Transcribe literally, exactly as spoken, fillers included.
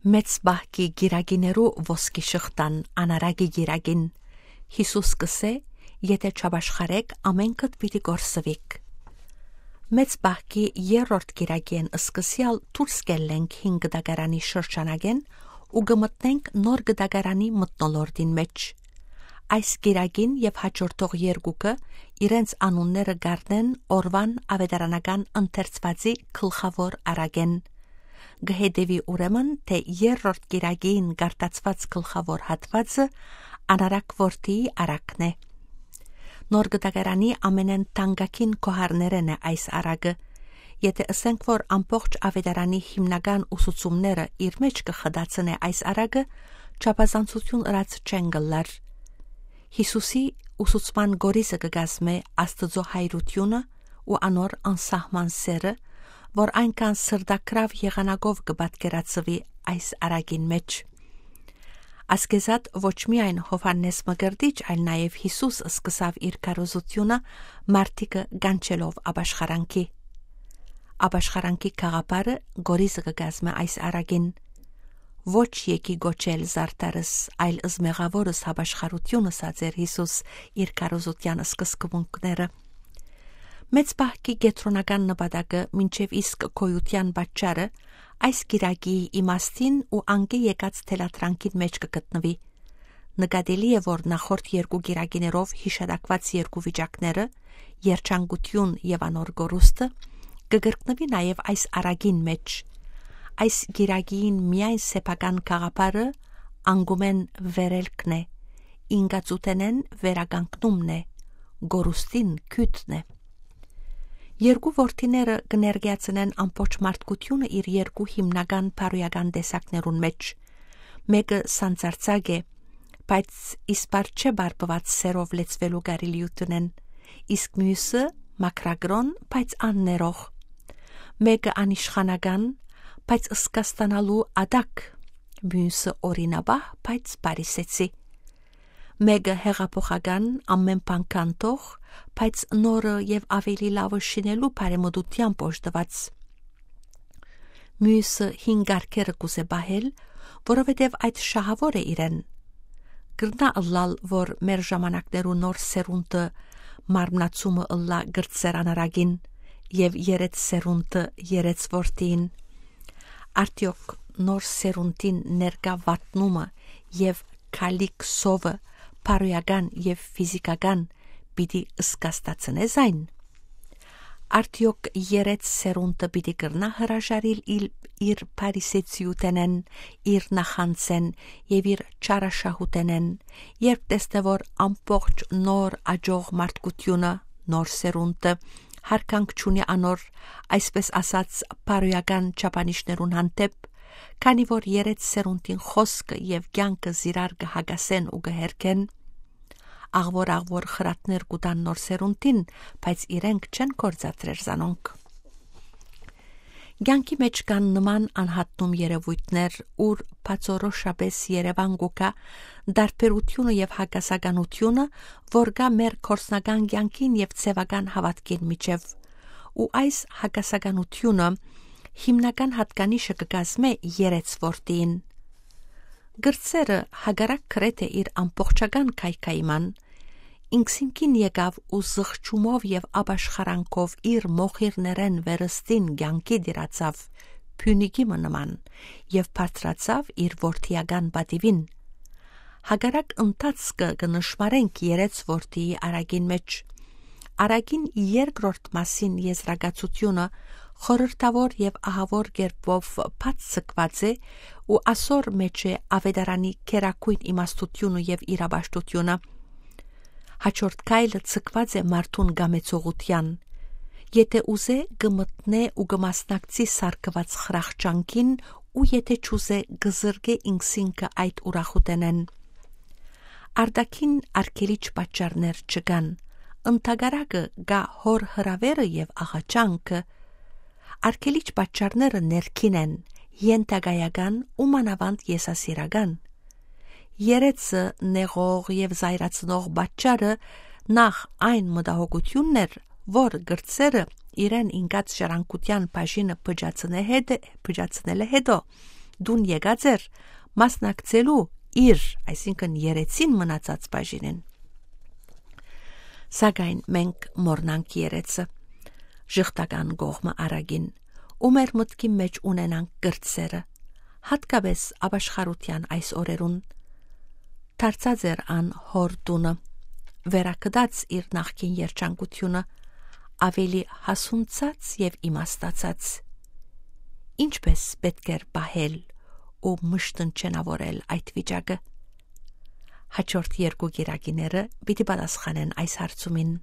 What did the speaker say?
Մեծ պահքի կիրակիներու ոսկի շղթան անարակի կիրակին։ Յիսուս կ'ըսէ. «Եթէ չապաշխարէք, ամէնքդ պիտի կորսուիք»։ Մեծ պահքի երրորդ կիրակիէն սկսեալ դուրս կ'ելլենք հին կտակարանի շրջանակէն ու կը մտնենք նոր կտակարանի մթնոլորտին մէջ։ Այս կիրակին եւ հաջորդող երկուքը իրենց անունները կ'առնեն օրուան աւետարանական ընթերցուածի գլխաւոր առակէն։ Կը հետեւի ուրեմն, թէ երրորդ կիրակին կարդացուած գլխաւոր հատուածը անարակ որդիի առակն է։ Նոր կտակարանի ամենէն թանկագին գոհարներէն է այս առակը։ Եթէ ըսենք, որ ամբողջ աւետարանի հիմնական ուսուցումները իր մէջ կը խտացնէ այս առակը, չափազանցութիւն ըրած չեն կ'ըլլար։ Յիսուսի ուսուցման կորիզը կը կազմէ Աստուծոյ հայրութիւնը ու անոր անսահման սէրը, որ այնքան սրտագրաւ եղանակով կը պատկերացուի այս առակին մէջ։ Ասկեզատ ոչ միայն Յովհաննէս Մկրտիչ, այլ նաեւ Յիսուս սկսաւ իր քարոզութիւնը մարդիկը կանչելով ապաշխարանքի։ Ապաշխարանքի գաղափարը կորիզը կը կազմէ այս առակին։ «Ոչ եկի կոչել զարդարս, այլ զմեղաւորս հապաշխարութիւն», ըսած էր Յիսուս իր քարոզութեան սկզբունքները։ Մեծ պահքի կեդրոնական նպատակը, մինչեւ իսկ գոյութեան պատճառը, այս կիրակի իմաստին ու անկէ եկած թելադրանքին մէջ կը գտնուի։ Նկատելի է, որ նախորդ երկու կիրակիներով յիշատակուած երկու վիճակները, երջանկութիւն եւ անոր կորուստը, կը կրկնուի նաեւ այս առակին մէջ։ Այս կիրակին միայն սեփական գաղափարը անկումէն վերելքն է, ինկածութենէն վերականգնումն է, կորուստին գիւտն է։ Երկու որդիները կը ներկայացնեն ամբողջ մարդկութիւնը իր երկու հիմնական բարոյական տեսակներուն մէջ։ Մէկը սանձարձակ է, բայց իսպառ չէ բարբուած սէրով լեցուելու կարելիութենէն, իսկ միւսը՝ մաքրագրոն, բայց աններող։ Մէկը անիշխանական, բայց զգաստանալու ատակ, միւսը՝ օրինապահ, բայց բարիսեցի։ Մէկը հեղափոխական, ամէն բան քանդող, բայց նորը եւ աւելի լաւը շինելու բարեմտութեամբ օժտուած։ Միւսը հին կարգերը կ'ուզէ պահել, որովհետեւ այդ շահաւոր է իրեն։ Կրնայ ըլլալ, որ մեր ժամանակներու նոր սերունդը մարմնացումը ըլլայ կրտսեր անարակին եւ երէց սերունդը երէց որդիին։ Արդեօք նոր սերունդին ներկայ վատնումը եւ քալիք սովը բարոյական եւ ֆիզիքական պիտի զգաստացնե զայն։ Արդեօք երէց սերունդը պիտի կրնա հրաժարիլ իլ-, իր փարիսեցիութենէն, իր նախանձէն եւ իր չարաշահութենէն, երբ տեսնէ, որ ամբողջ նոր աջող մարդկութիւնը, նոր սերունդը, յարգանք չունի անոր, այսպես ասած, բարոյական չափանիշներուն հանդէպ, քանի որ երէց սերունդին խօսքը եւ կեանքը զիրար կը հակասեն ու կը հերքեն։ Աղվոր-աղվոր խրատներ կու տան նոր սերունդին, բայց իրենք չեն գործադրեր զանոնք։ Կեանքի մէջ կան նման անհատնում երեւոյթներ, ուր բացորոշապէս երեւան կու գայ տարբերութիւնը եւ հակասականութիւնը, որ կայ մեր գործնական կեանքին եւ ձեւական հաւատքին միջեւ։ Ու այս հակասականութիւնը հիմնական յատկանիշը կը կազմէ երէց որդիին։ Կրտսերը հակառակ գրեթէ իր ամբողջական քայքայման, ինքզինքին եկաւ ու զղջումով եւ ապաշխարանքով իր մոխիրներէն վերստին կեանքի տիրացաւ, փիւնիկի մը նման, եւ բարձրացաւ իր որդիական պատիւին։ Հակառակ ընթացքը կը նշմարենք երէց որդիի առակին մէջ։ Առակին երկրորդ մասին եզրակացութիւնը խորհրդաւոր եւ ահաւոր կերպով բաց ձգուած է ու ասոր մէջ է աւետարանի գերագոյն իմաստութիւնը եւ իրապաշտութիւնը։ Հաջորդ քայլը ձգուած է մարդուն կամեցողութեան։ Եթէ ուզէ, կը մտնէ ու կը մասնակցի սարքուած խրախճանքին ու եթէ չուզէ, կը զրկէ ինքզինքը այդ ուրախութենէն։ Արտաքին արգելիչ պատճառներ չկան, ընդհակառակը կայ հօր հրաւերը եւ աղաչանքը։ Արգելիչ պատճառները ներքին են, ենթակայական ու մանաւանդ եսասիրական։ Երեցը նեղող եւ զայրացնող պատճառը նախ այն մտահոգութիւնն էր, որ կրտսերը իրեն ինկած ժառանգութեան բաժինը փճացնե հետը, փճացնելը հետո, տուն եկած էր մասնակցելու իր, այսինքն երեցին մնացած բաժինին։ Սակայն մենք մոռնանք երեցը, ժխտական կողմը արագին, ու մեր մտքի մէջ ունենանք կրտսերը, հատկապես ապաշխարութեան այս օրերուն։ Դարձած էր ան հոր տունը, վերագտած իր նախկին երջանկությունը, ավելի հասունցած եւ իմաստացած։ Ինչպե՞ս պէտք էր պահել ու մշտնջենաւորել այդ վիճակը։ Հաջորդ երկու կիրակիները պիտի պատասխանեն այս հարցումին։